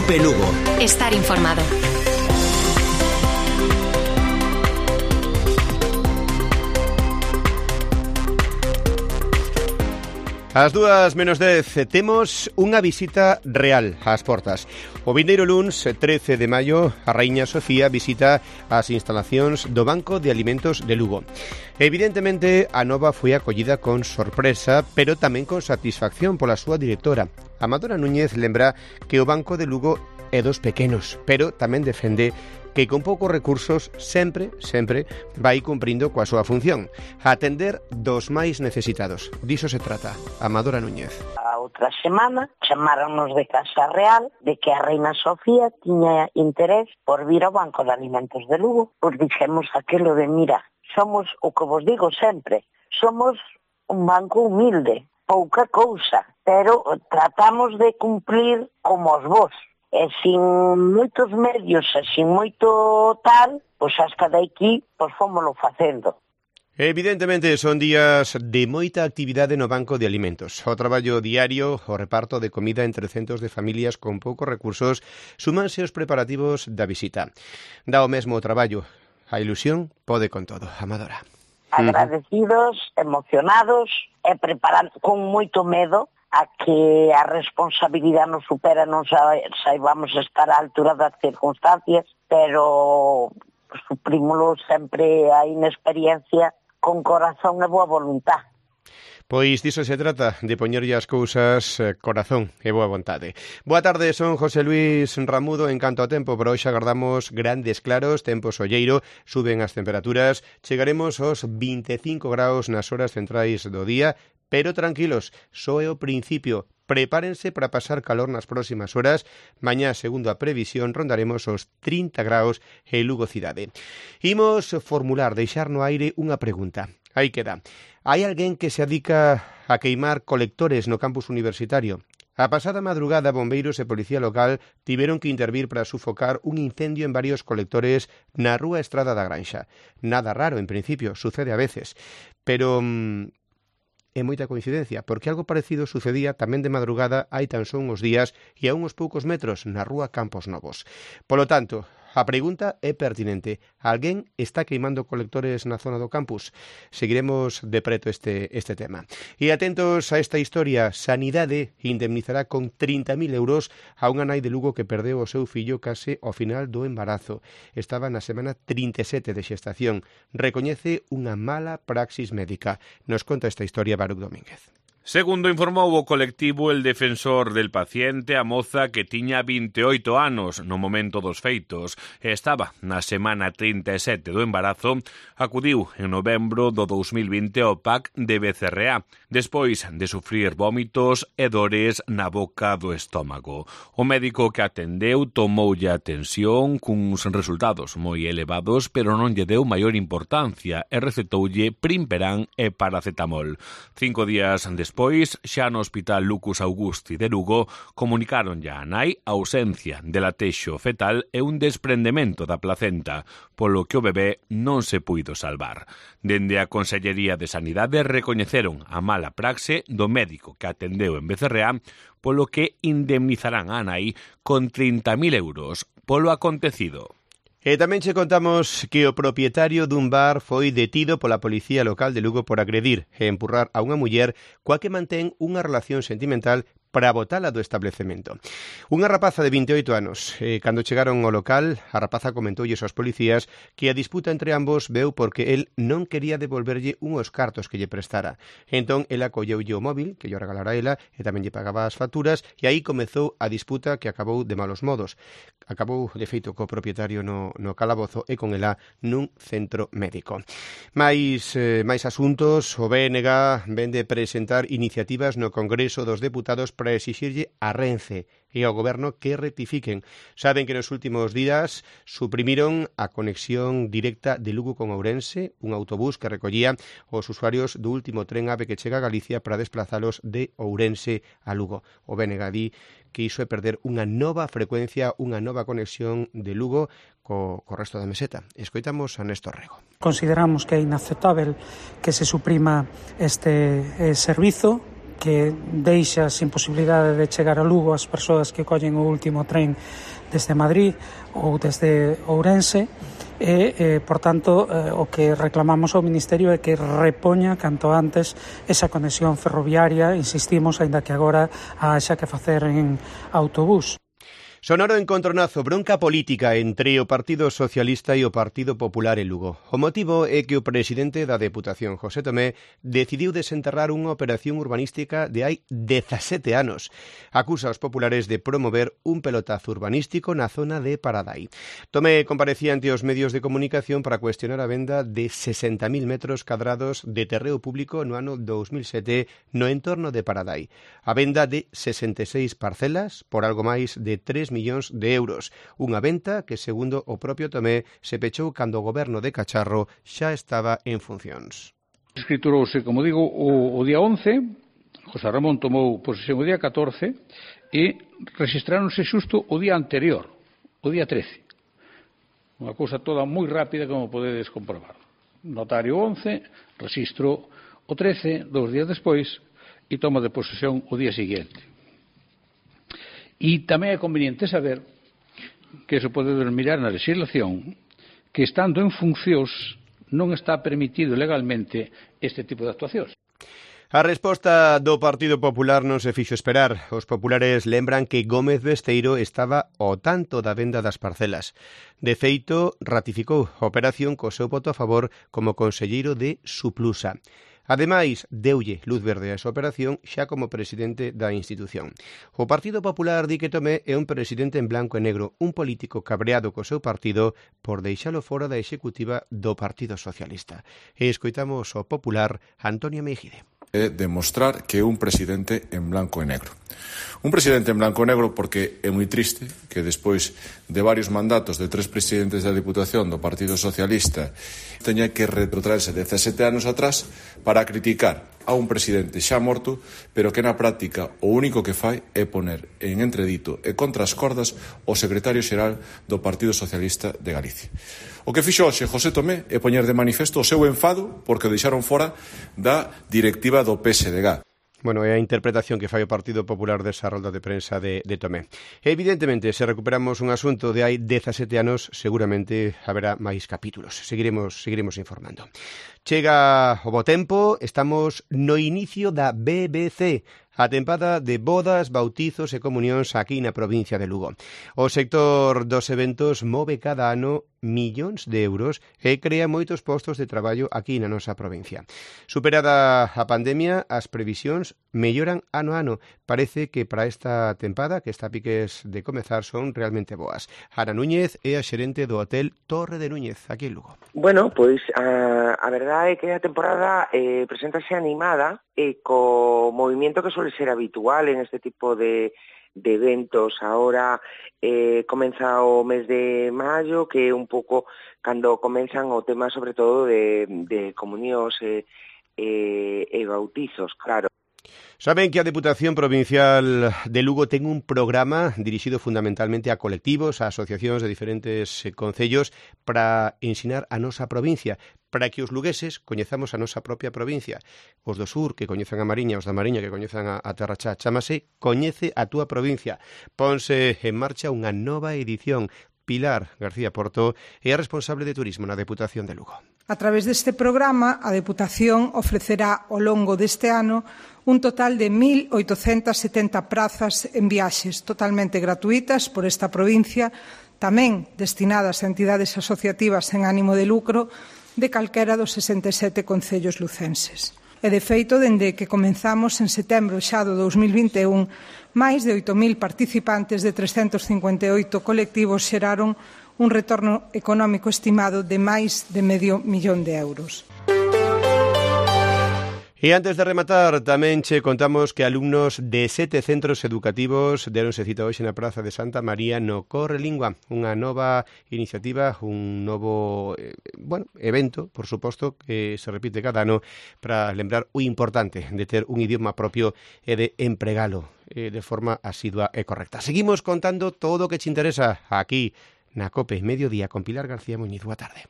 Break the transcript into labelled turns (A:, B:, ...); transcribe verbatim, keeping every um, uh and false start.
A: Cope Lugo.
B: Estar informado.
C: Ás dúas menos dez temos unha visita real ás portas. O vindeiro luns, trece de maio, a Raíña Sofía visita as instalacións do Banco de Alimentos de Lugo. Evidentemente, a nova foi acollida con sorpresa, pero tamén con satisfacción pola súa directora. Amadora Núñez lembra que o Banco de Lugo é dos pequenos, pero tamén defende que con poucos recursos sempre, sempre vai cumprindo coa súa función, atender dos máis necesitados. Diso se trata. Amadora Núñez.
D: A outra semana chamáronos de Casa Real de que a Reina Sofía tiña interés por vir ao Banco de Alimentos de Lugo. Pois dixemos aquilo de, mira, somos, o que vos digo sempre, somos un banco humilde, pouca cousa, pero tratamos de cumplir como os vos. E sin moitos medios e sin moito tal, pois hasta de aquí, pois fómolo facendo.
C: Evidentemente son días de moita actividade no Banco de Alimentos. O traballo diario, o reparto de comida entre centos de familias con poucos recursos, súmanse os preparativos da visita. Dá o mesmo traballo. A ilusión pode con todo. Amadora.
D: Agradecidos, emocionados e preparando con moito medo a que a responsabilidade nos supera, non saibamos estar á altura das circunstancias, pero suprímolo sempre a inexperiencia con corazón e boa voluntad.
C: Pois diso se trata, de poñerlle as cousas eh, corazón e boa vontade. Boa tarde, son José Luis Ramudo en canto a tempo, pero hoxe agardamos grandes claros, tempo solleiro, suben as temperaturas, chegaremos aos vinte e cinco graus nas horas centrais do día, pero tranquilos, só é o principio. Prepárense para pasar calor nas próximas horas. Mañá, segundo a previsión, rondaremos os trinta graus en Lugo cidade. Imos formular, deixar no aire unha pregunta. Aí queda. Hai alguén que se adica a queimar colectores no campus universitario? A pasada madrugada, bombeiros e policía local tiveron que intervir para sufocar un incendio en varios colectores na rúa Estrada da Granxa. Nada raro, en principio, sucede a veces. Pero Mmm, é moita coincidencia, porque algo parecido sucedía tamén de madrugada hai tan só uns días e a uns poucos metros na rúa Campos Novos. Polo tanto, a pregunta é pertinente. Alguén está queimando colectores na zona do campus? Seguiremos de preto este, este tema. E atentos a esta historia, Sanidade indemnizará con trinta mil euros a unha nai de Lugo que perdeu o seu fillo case ao final do embarazo. Estaba na semana trinta e sete de xestación. Recoñece unha mala praxis médica. Nos conta esta historia Baruch Domínguez.
E: Segundo informou o colectivo El Defensor del Paciente, a moza que tiña vinte e oito anos no momento dos feitos e estaba na semana trinta e sete do embarazo, acudiu en novembro do dous mil vinte ao P A C de B C R A, despois de sufrir vómitos e dores na boca do estómago. O médico que atendeu tomoulle a atención cuns resultados moi elevados, pero non lle deu maior importancia e recetoulle Primperan e paracetamol. Cinco días despois, Despois, xa no Hospital Lucus Augusti de Lugo, comunicaron ya a nai a ausencia de latexo fetal e un desprendemento da placenta, polo que o bebé non se puido salvar. Dende a Consellería de Sanidade recoñeceron a mala praxe do médico que atendeu en B C R A, polo que indemnizarán a nai con trinta mil euros polo acontecido.
C: E tamén che contamos que o propietario dun bar foi detido pola Policía Local de Lugo por agredir e empurrar a unha muller coa que mantén unha relación sentimental para botala do establecemento. Unha rapaza de vinte e oito anos. Eh, cando chegaron ao local, a rapaza comentoulles aos policías que a disputa entre ambos veu porque el non quería devolverlle unhos cartos que lle prestara. Entón, ela colleulle o móvil, que lle regalara ela, e tamén lle pagaba as facturas, e aí comezou a disputa que acabou de malos modos. Acabou, de feito, co propietario no, no calabozo e con ela nun centro médico. Mais, eh, máis asuntos, o B N G ven de presentar iniciativas no Congreso dos Deputados para exixirlle a Renfe e ao Goberno que rectifiquen. Saben que nos últimos días suprimiron a conexión directa de Lugo con Ourense, un autobús que recollía os usuarios do último tren AVE que chega a Galicia para desplazalos de Ourense a Lugo. O B N G di que iso é perder unha nova frecuencia, unha nova conexión de Lugo co, co resto da meseta. Escoitamos a Néstor Rego.
F: Consideramos que é inaceptável que se suprima este eh, servizo
A: que deixa sin posibilidade de chegar a Lugo as persoas que collen o último tren desde Madrid ou desde Ourense. E, eh, por tanto, eh, o que reclamamos ao Ministerio é que repoña canto antes esa conexión ferroviaria, insistimos, aínda que agora haxa que facer en autobús.
C: Sonoro encontronazo, bronca política entre o Partido Socialista e o Partido Popular en Lugo. O motivo é que o presidente da Deputación, José Tomé, decidiu desenterrar unha operación urbanística de hai dezasete anos. Acusa aos populares de promover un pelotazo urbanístico na zona de Paradai. Tomé comparecía ante os medios de comunicación para cuestionar a venda de sesenta mil metros cadrados de terreo público no ano dous mil sete no entorno de Paradai. A venda de sesenta e seis parcelas por algo máis de tres millóns de euros. Unha venta que, segundo o propio Tomé, se pechou cando o goberno de Cacharro xa estaba en funcións.
B: Escriturouse, como digo, o, o día once, José Ramón tomou posesión o día catorce e rexistráronse xusto o día anterior, o día trece. Unha cousa toda moi rápida, como podedes comprobar. Notario once, registro o trece, dous días despois, e toma de posesión o día seguinte. E tamén é conveniente saber que se pode mirar na legislación que, estando en funcións, non está permitido legalmente este tipo de actuacións.
C: A resposta do Partido Popular non se fixo esperar. Os populares lembran que Gómez Besteiro estaba ao tanto da venda das parcelas. De feito, ratificou a operación co seu voto a favor como conselleiro de Suplusa. Ademais, deulle luz verde a esa operación xa como presidente da institución. O Partido Popular di que Tomé é un presidente en blanco e negro, un político cabreado co seu partido por deixalo fora da executiva do Partido Socialista. E escoitamos o popular Antonio Meijide.
F: É demostrar que é un presidente en blanco e negro. Un presidente en blanco e negro porque é moi triste que despois de varios mandatos de tres presidentes da Diputación do Partido Socialista teña que retrotraerse dezasete anos atrás para criticar a un presidente xa morto, pero que na práctica o único que fai é poner en entredito e contra as cordas o secretario xeral do Partido Socialista de Galicia. O que fixo hoxe José Tomé é poñer de manifesto o seu enfado porque o deixaron fora da directiva do P S D G.
C: Bueno, é a interpretación que fai o Partido Popular desa rolda de prensa de, de Tomé. Evidentemente, se recuperamos un asunto de hai dezasete anos, seguramente haberá máis capítulos. Seguiremos, seguiremos informando. Chega o bo tempo, estamos no inicio da B B C, a tempada de bodas, bautizos e comunións aquí na provincia de Lugo. O sector dos eventos move cada ano millóns de euros e crea moitos postos de traballo aquí na nosa provincia. Superada a pandemia, as previsións melloran ano a ano. Parece que para esta tempada, que está a piques de comezar, son realmente boas. Ana Núñez é a xerente do hotel Torre de Núñez, aquí en Lugo.
G: Bueno, pois a, a verdade é que a temporada eh, preséntase animada e co movimento que suele ser habitual en este tipo de, de eventos. Ahora eh, comeza o mes de maio, que é un pouco cando comenzan o tema sobre todo de, de comunións e, e, e bautizos, claro.
C: Saben que a Deputación Provincial de Lugo ten un programa dirixido fundamentalmente a colectivos, a asociacións de diferentes concellos para ensinar a nosa provincia, para que os lugueses coñezamos a nosa propia provincia. Os do sur, que coñezan a Mariña, os da Mariña, que coñezan a, a Terra Chá. Chámase Coñece a túa provincia. Ponse en marcha unha nova edición. Pilar García Porto é a responsable de turismo na Deputación de Lugo.
H: A través deste programa, a Deputación ofrecerá ao longo deste ano un total de mil oitocentas setenta prazas en viaxes totalmente gratuitas por esta provincia, tamén destinadas a entidades asociativas sen ánimo de lucro de calquera dos sesenta e sete concellos lucenses. E, de feito, dende que comenzamos en setembro xa do dous mil vinte e un, máis de oito mil participantes de trescentos cincuenta e oito colectivos xeraron un retorno económico estimado de máis de medio millón de euros.
C: E antes de rematar, tamén che contamos que alumnos de sete centros educativos deronse cita hoxe na Praza de Santa María no Corre Lingua, unha nova iniciativa, un novo eh, bueno, evento, por suposto, que se repite cada ano para lembrar o importante de ter un idioma propio e de empregalo eh, de forma asidua e correcta. Seguimos contando todo o que te interesa aquí na COPE Mediodía con Pilar García Muñiz. Boa tarde.